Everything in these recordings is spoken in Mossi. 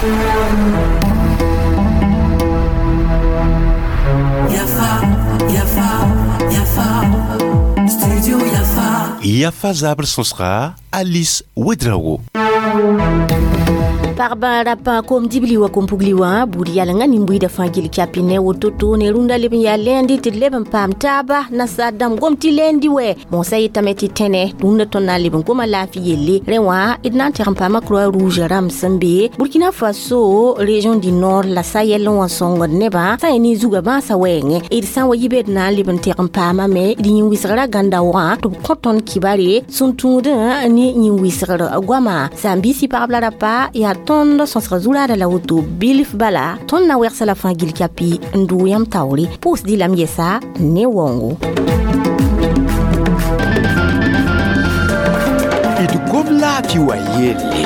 Yafa, Yafa, Yafa, Studio Yafa. Yafa zabr sõsga Alice Ouedraogo. Pagba rapa kom dibli wa kom pugli wa buud yalengã nin-buiidã fãa gil kyapi ne woto-to ne rũndã leb n yaa lɛɛndi tɩ d leb n paam taaba nasaar dãmb gom tɩ lɛɛndi wɛ mosã yetame tɩ tẽne rũndã tõnd na n leb n goma laafɩ yelle rẽ wã d na n teg n paama Croix Rouge rãmb sẽn be Burkina Faso, région du Nord la Sahel wã sõngd nebã sã n ne zugã bãasã wɛɛngẽ d sã n wa yi be d na n leb n teg n paamame d yĩn-wɩsgrã gãnda wã tɩ b kõ tõnd kibare sẽn tũudẽ ne yĩn-wɩsgr goama saam-biisi pagb la rapa yaa tõnd sõsg zuraada la woto bilf bala tõnd na wɛgsa la fãa gil kyapi n dʋʋ yãmb taoore pʋʋsd y lame yɛsa ne waoongo. D gom laafɩ wa yelle.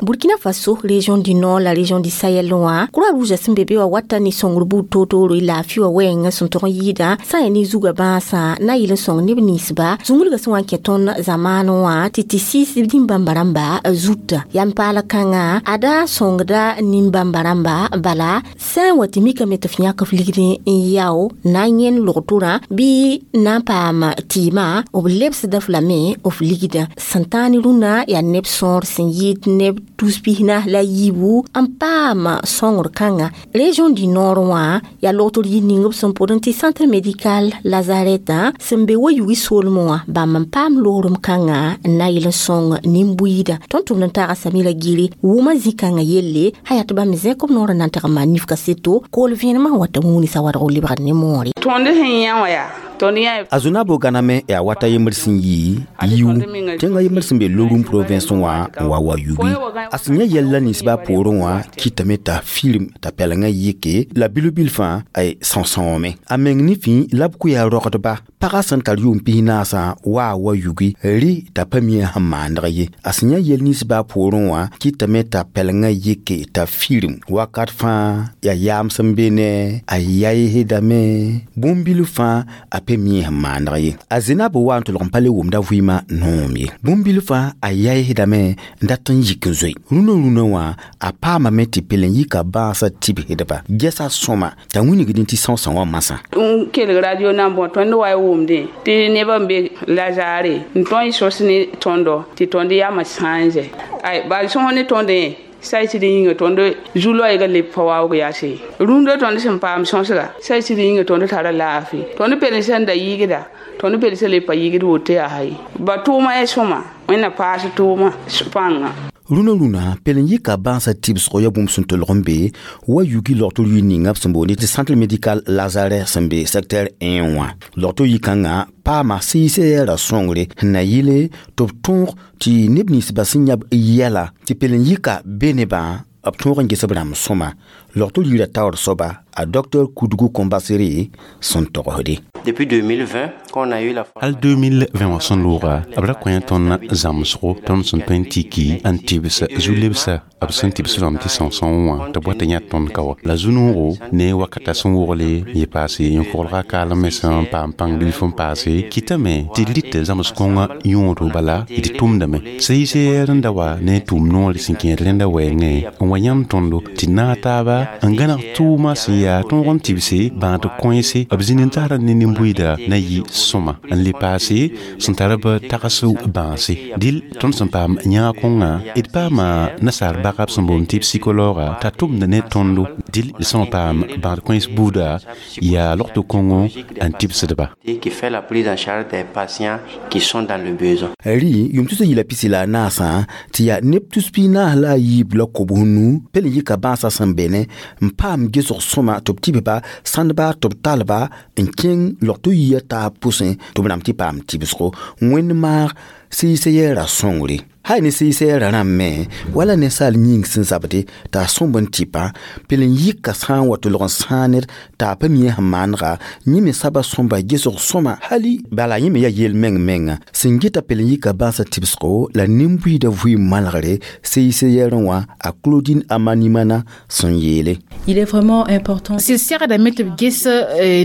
Burkina Faso, région du Nord, la région du Sahel wã Croix Rouge sẽn be be wa wata ne sõngr buud toor-tooro laafɩ wã wɛɛngã sẽn tog n yɩɩda sã n yaa ne zugã bãasã na yɩl n sõng neb ninsba zũnglgã sẽn wa n kẽ tõnd zamaan wã tɩ tɩ sɩɩs nin-bãmba rãmba zuta yam paal kãngã ada sõngda nin-bãmba rãmba bala sã n wa tɩ mikame tɩ f yãk f ligd n yao na n yẽnd logtorã bɩ na n paam tɩɩmã b lebsda f lame f ligdã sẽn tãag ne rũnã yaa neb sõor sẽn yɩɩd neb tus pisna la yiibu n paam sõngr kãnga région du Nord wã yaa logtr yir ning b sẽn pʋdẽ tɩ centre médical Lazaret sẽn be wa yugi soolmẽ wã bãmb n paam loorem kãngã n na yɩl n sõng nin-buiidã tõnd tʋmd n taaga Samira Gire wʋma zĩ-kãngã yelle sã yaa tɩ bãmb zẽk b noor n na n teg n maan nifka seto kool vẽenemã n wata wũuni sa wadg lebgd ne moore. Tõnd sẽn yã wã yaa tõnd yã A Zunabo gãname yaa wata yembr sẽn yɩ yiu tẽngã yembr sẽn be Loroum province wã n wa wa yugi a sẽn yã yɛl la ninsbã poorẽ wã kɩtame t'a firim t'a pɛlengã yike la bil-bil fãa ay sõsõome a meng ne fĩ la b kʋya rogdba pagã sẽn tar yʋʋm pis-naasã waa wa yugi rɩ t'a pa mi sẽn maandg ye a sẽn yã yɛl ninsbã poorẽ wã kɩtame t'a pɛlengã yike t'a firim wakat fãa yaa yaam sẽn be ne a yaɩsdame bũmb-bil fãa a pa mi sẽn maandg ye a Zenab wa n tʋlg n pa le wʋmda vɩɩmã noom ye bũmb-bil fãa a yaɩsdame n dat n yik n zoe rũnã rũnã wã a paamame tɩ pel n yika bãasã tibsdba gɛsa sõma t'a wingd tɩ sõsã wã masã n kelg radio na n bõ tõnd wa y wʋmdẽ tɩ nebã n be Lazare n tõe n sos ne tõndo tɩ tõnd yamã sãnze ay bal sõs ne tõndẽ say tɩ yĩnga tõnd zu-loɛɛgã leb pa waoog yaase rũndã tõnd sẽn paam sõsga say tɩ yĩnga tõnd tara laafɩ tõnd pel sẽn da yɩgda tõnd pel sẽn leb pa yɩgd woto yaa ye ba tʋʋma yaa sõma wẽnna paas tʋʋma pãnga. Rũnã rũnã pel n yika bãasã tibsgo yaa bũmb sẽn tolg n be wa yugi logtr yir ninga b sẽn boond tɩ centre médical Lazare sẽn be secteur 1 wã logtr yikãngã paama sɩɩsɛɛra sõngre sẽn na yɩle tɩ b tõog tɩ neb ninsbã sẽn yãb yɛla tɩ pel n yika be nebã b tõog n ges b rãmb sõma logtr yirã taoor soaba a docteur Kudgu Kombasere sẽn togsde. Depuis 2020, quand on a eu la Hal 2020 wã sẽn looga b ra kõ tõnd zãmsgo tõnd sẽn tõe n tiki n tɩbs zu-lebsa b sẽn tɩbs rãmb tɩ sõsõ wã tɩ b wa tɩ yã tõnd ka wa la zu-noogo ne wakata sẽn wogle yɩ paase yẽ-koglga kaalem me sẽn paam pãng bilf n paase kɩtame tɩ d rɩt zãms kõngã yõodo bala d tʋmdame CICR n da wa ne tʋʋm noore sẽn kẽed rẽnda wɛɛngẽ n wa yãmb tõndo tɩ naag taaba n gãneg tʋʋma sẽn yaa tõog n tɩbse bãad kõese b zĩnd n taara ne nin-buiida na yɩ sõma n le paase sẽn tar b tags bãase dɩl tõnd sẽn paam yãag kõngã d paama nasaar bagab sẽn boond tɩ psychologa t'a tʋmd ne tõndo dɩl d sẽn paam bãad kões buuda yaa logto kõngo n tɩbsdba. Qui fait la prise en charge des patients qui sont dans le besoin. Rɩ yʋm tus n yɩla pisi la a naasã tɩ yaa neb tus piig-naas la a yiib la kobs nu pel n yika bãasã sẽn be ne n paam gesg sõma tɩ b tɩbba sãndba tɩ b talba n kẽng logto yia taab pʋsẽ tɩ b rãmb tɩ paam tɩbsgo wẽnd maag sɩɩs-yɛɛra sõngre hay ne sɩɩs-yɛɛra rãmb me wala ninsaal yĩng sẽn zabde t'a sõmb n tɩpa pel n yika sã n wa tʋlg n sãag ned t'a pa mi sẽn maanega yẽ me saba sõmba gesg sõma hali bala yẽ me yaa yel meng menga sẽn geta pel n yika bãasã tɩbsgo la nin-buiidã vɩɩm malgre sɩɩs-yɛɛrẽ wã a Claudine Amanimana sẽn yeele. Il est vraiment important. Sɩd segdame tɩ b ges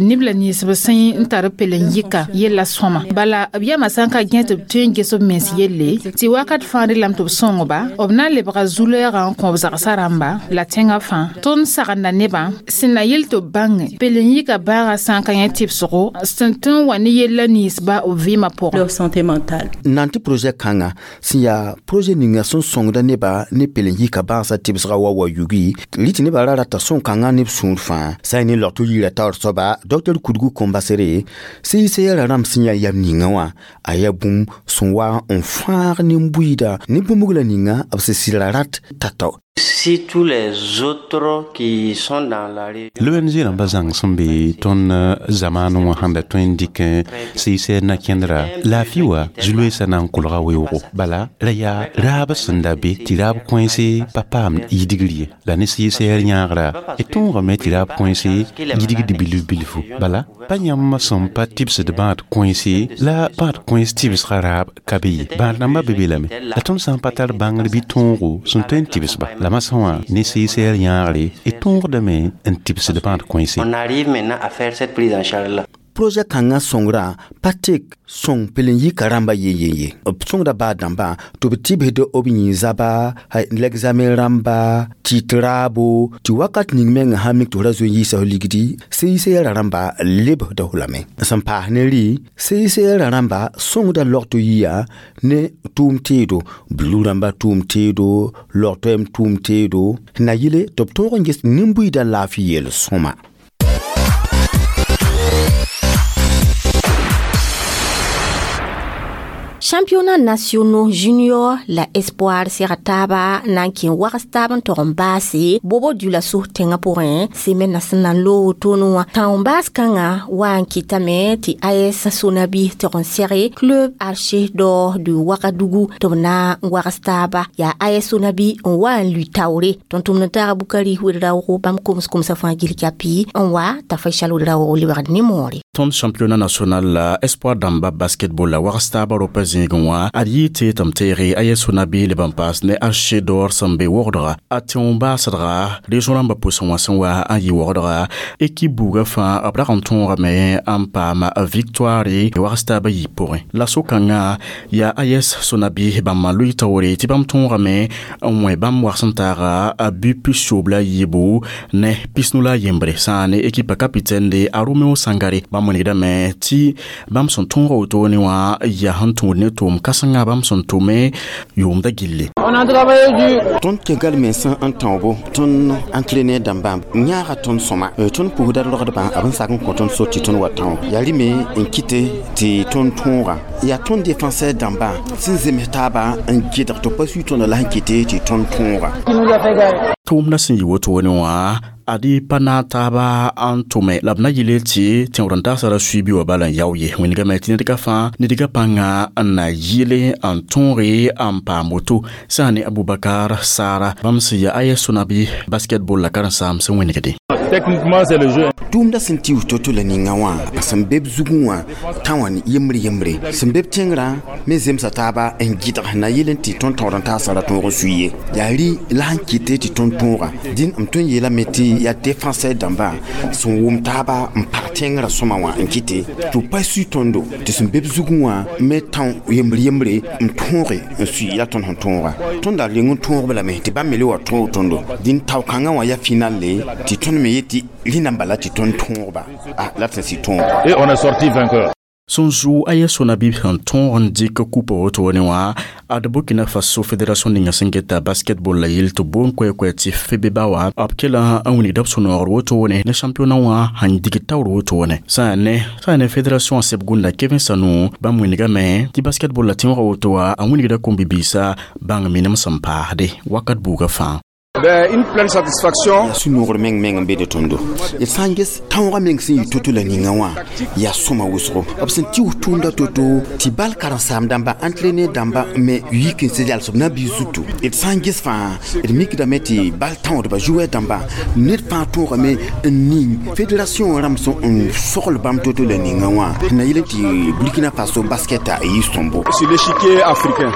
neb la ninsb sẽn n tar pel n yika yella sõma bala b yama sã n ka gẽ tɩ b tõe n ges b mens yelle tɩ wakat fãa rɩlame tɩ b sõngba b na n lebga zu-lɛɛgã n kõ b zagsã rãmba la tẽngã fãa. Tõnd sagenda nebã sẽn na yel tɩ b bãnge pelen-yika bãagã sã n ka yẽ tɩbsgo sẽn tõe n wa ne yella ninsba b vɩɩmã pʋgẽ. Leur santé mentale. N na n tɩ projet kãnga sẽn yaa projet ninga sẽn sõngda nebã ne pelen-yika bãasã tɩbsga wa wa yugi rɩ tɩ nebã ra rata sõn-kãngã ne b sũur fãa sã n ne logto yira taoor soaba Dr Kudgu Kõmbasere CICR rãmb sẽn yaa yam ninga wã a yaa bũmb sẽn wa n fãag nin-buiida ne bũmb la ninga b sẽn sɩdra rat tao-tao. Si tous les autres qui sont dans la région L'ONG rãmba zãng sẽn be tõnd zamaan wã sãn da tõe n dɩk CICR na kẽndra laafɩ wa zu-loeesã na n kolga weoogo bala ra yaa raab sẽn da be tɩ raab kõense pa paam yidgr ye la ne CICR yãagra d tõogame tɩ raab kõense yidgd bilf bilfu bala pa yãmb sẽn pa tɩbsd bãad kõense la bãad kõens tɩbsga raab ka be ye bãad rãmbã be be lame la tõnd sã n pa tar bãngr bɩ tõogo sẽn tõe n tɩbsba la masã wã ne CICR yãagre d tõogdame n tɩbsd bãad kõense. On arrive maintenant à faire cette prise en charge là. Projet kãngã sõngrã pa tek sõng pelen-yika rãmba yen-yen ye b sõngda baa dãmbã tɩ b tɩbsd b yĩ zaba l'examen rãmba tɩ tɩ raabo tɩ wakat ning mengã sã mik tɩ f ra zoe n yiisa f ligdi CICR rãmba lebsda f lame sẽn paas ne rɩ CICR rãmba sõngda logto yia ne tʋʋm teedo blu rãmba tʋʋm teedo logtoɛm tʋʋm teedo na yɩle tɩ b tõog n ges nin-buiidã laafɩ yel sõma. Championnat nationaux junior la espoir sẽga taaba na n kẽ wags taab n tog n baase bobo dioulasso tẽngã pʋgẽ semaine sẽn na n loog wotone wã. Tãon-baas kãngã wa n kɩtame tɩ AS Sonabi tog n sɛge Club Archer d'Or de Ouagadougou tɩ b na n wags taaba yaa AS Sonabi n wa n lui taoore tõnd-tʋmd n taaga Bukari wed-raoogo bãmb koms-komsã fãa gil kapi n wa t'a Faisal wed-raoogo lebgd ne moore. Tõnd championnat national la espoir dãmba basketball la wags taaba rʋpa zĩigẽ wã ad yɩ tɩ tɩ m teege AS Sonabi leb n paas ne Archer d'Or sẽn be wogdga a tẽo baasdga région rãmbã pʋsẽ wã sẽn wa n yɩ wogdga équipe buugã fãa b rag n tõogame n paam victoire wags taabã yiib pʋgẽ la so-kãngã yaa AS Sonabi bãmb n lʋɩ taoore tɩ bãmb tõogame n wẽ bãmb wags n taaga a bu 15 la yiibu ne 15 la yembre sã ne équipe capitaine de a Romeo Sangare bãmb wilgdame tɩ bãmb sẽn tõoga wotone wã yaa sẽn tũud ne tʋʋm kãsenga bãmb sẽn tʋme yʋʋmda gilli. Tõnd kẽngal mensã n tãoobo tõnd entraîneur dãmbã yãaga tõnd sõma tõnd pʋgda rogdbã b n sak n kõ tõnd so tɩ tõnd wa tão yaa rɩme n kɩte tɩ tõnd tõoga yaa tõnd défenseur dãmbã sẽn zems taaba n gɩdg tɩ pa sui tõnda la sẽn kɩte tɩ tõnd tõoga. Tʋʋmdã sẽn yɩ wotone wã adi pa na taaba n tʋme la b na yɩle tɩ tẽoor n tagsã ra suibi wã bala n yao ye wĩnigame tɩ nedga fãa nedga pãnga n na yɩle n tõoge n paam woto sã ne Abubakar Sara bãmb sẽn yaa AS Sonabi basketball la karen-saam sẽn wĩnigde. Techniquement, c'est le jeu. Tʋʋmda sẽn tɩ to-to la ninga wã sẽn be b zugẽ wã tã wã yembre yembre sẽn be b tẽngrã me zemsa taaba n gɩdg na yɩl n tɩ tõnd taoor n tagsã ra tõog n sui ye yaa rɩ la sẽn kɩte tɩ tõnd tõoga dĩn m tõe n yeelame tɩ yaa défenseur dãmbã sẽn wʋm taaba n pag tẽngrã sõma wã n kɩte tɩ b pa sui tõndo tɩ sẽn be b zugẽ wã me tão yembre yembre n tõoge n sui la tõnd sẽn tõoga tõnd da reng n tõogb lame tɩ bãmb me le wa tõog tõndo dĩn tao-kãngã wã yaa final le tɩ tõnd me yet tɩ rẽndã bala tɩ tõnd tõogba la d sẽn sɩ tõoga. Et on est sorti vainqueur. Sẽn zu AS Sonabi sẽn tõog n dɩk kupa wotone wã ad Burkina Faso fédération ninga sẽn geta basketball la yel tɩ boon koɛ-koɛ tɩ FEBEBA wã b kela n wilgda b sũ-noogr wotone ne championnat wã sẽn dig taoor wotone sã ne fédération seb gũnda Kevin Sanou bãmb wilgame tɩ basketball la tẽoogã woto wã a wilgda kom-bibiisã bãng minem sẽn paasde wakat buugã fãa. Ben, une pleine satisfaction. Yaa sũ-noogr meng meng n be de tõndo d sã n ges tãoogã meng sẽn yɩ to-to la ninga wã yaa sõma wʋsgo b sẽn tɩ tʋʋmda to-to tɩ bal karen-saam dãmba entraîneur dãmba me yik n sẽn yals b nabiis zutu d sã n ges fãa d mikdame tɩ bal tãoodba joueur dãmba ned fãa tõogame n ning fédération rãmb sẽn n sogl bãmb to-to la ninga wã na yɩl tɩ Burkina Faso basket a yɩ sõmbo. Sur l'échiquier africain.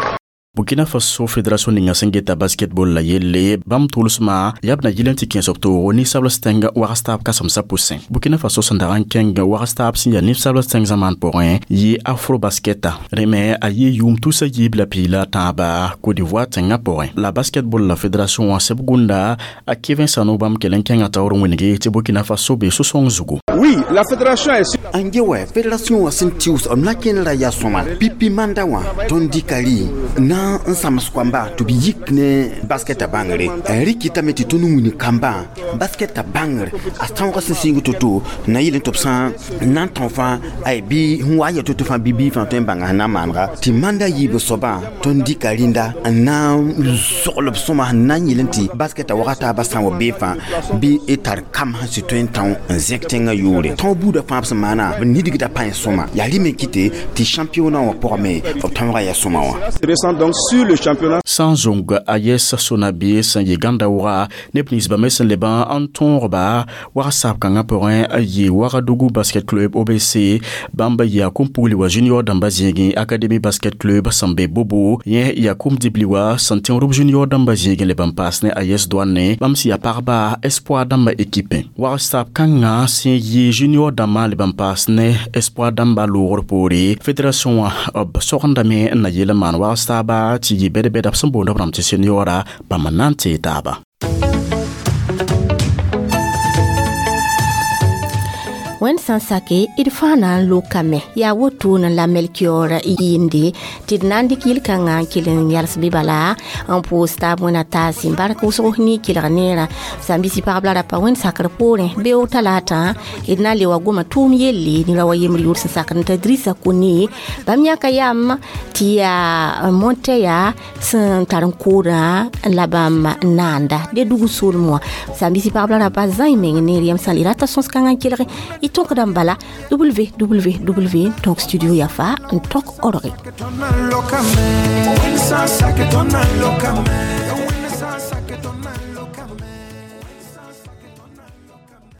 Burkina Faso Fédération ninga sẽn geta basketball la yelle bãmb tʋlsmã yaa b na yɩl n tɩ kẽes b toogo ninsabls tẽng wags taab kãsemsã pʋsẽ. Burkina Faso sẽn dag n kẽng wags taab sẽn yaa ninsabls tẽng zamaan pʋgẽ yɩ afro basketa rẽ me a yɩ yʋʋm tusa yiib la piila tãaba Côte d'Ivoire tẽngã pʋgẽ. La basketball la fédération wã seb gũnda a Kevin Sano bãmb kell n kẽngã taoor n wĩnge tɩ Burkina Faso be so-sõng zugu. Oui, la fédération est n ge wɛ fédération wã sẽn tɩʋs b na kẽnera yaa sõma pipi manda wã tõnd dɩka rɩ na n sãms koamba tɩ b yik ne baskɛta bãngre rɩkɩtame tɩ tõnd wĩni kambã baskɛta bãngr a tõoga sẽn sɩng to-to na yɩl tɩ b sã n na n tão fãa ay bɩ sẽn wa n ya to-to fãa bɩ bii fãa tõe n bãnga sẽn na n maanega tɩ manda yiib soabã tõnd dɩka rĩnda n na n sogl b sõma sẽn na n yɩl n tɩ baskɛta waga taabã sã n wa bee fãa bɩ y tar kam sẽn sɩ tõe n tão n zẽk tẽngã yʋʋre. Tõog buudã fãa b sẽn maana b nidgda pãẽ sõma yaa rɩ me kɩte tɩ championnat wã pʋgẽ me b tõoga yaa sõma wã. Récent donc sur le championnat. Sã n zũng a yes sõna-biis sẽn yɩ gãnda wʋga neb ninsbã me sẽn lebã n tõogba wag saab kãngã pʋgẽ a yɩ Wagadugu Basket Club OBC bãmb yaa kũm-pugli wa junior dãmbã zĩigẽ Académie Basket Club sẽn be Bobo yẽ yaa kũm-dibli wa sẽn tẽo-rʋb junior dãmbã zĩigẽ leb n paas ne a yes Douane bãmb sẽn yaa pagba Espoir dãmbã équipe. Wag saab kãngã sẽn yɩ junior dãmbã leb n paas ne Espoir dãmbã loogr poore fédération wã b sogendame n na yeel n maan wags taaba tɩ yɩ bɛd-bɛda b sẽn boond b rãmb tɩ seniora bãmb n na n tee taaba. Wẽnd sã n sake d fãa na n lokame yaa wotone la Melkior yɩɩmde tɩ d na n dɩk yel-kãngã n kell n yals bɩ bala n pʋʋs taab wẽna taas n bark wʋsg ne kelg neerã sãn-bisi pagb la rapa wẽnd sakr poorẽ beoog talaatã d na n le wa goma tʋʋm yelle ne ra wa yembr yʋʋr sẽn sakd n t'a Drisa Kone bãmb yãka yam tɩ yaa Monteya sẽn tar n koodã la bãmb naanda de dug soolem wã sãn-bisi pagb la rapa zãe meng neer yam sã n le rata sõs-kãngã n kelg y tõkda n bala www.studioyafa.org.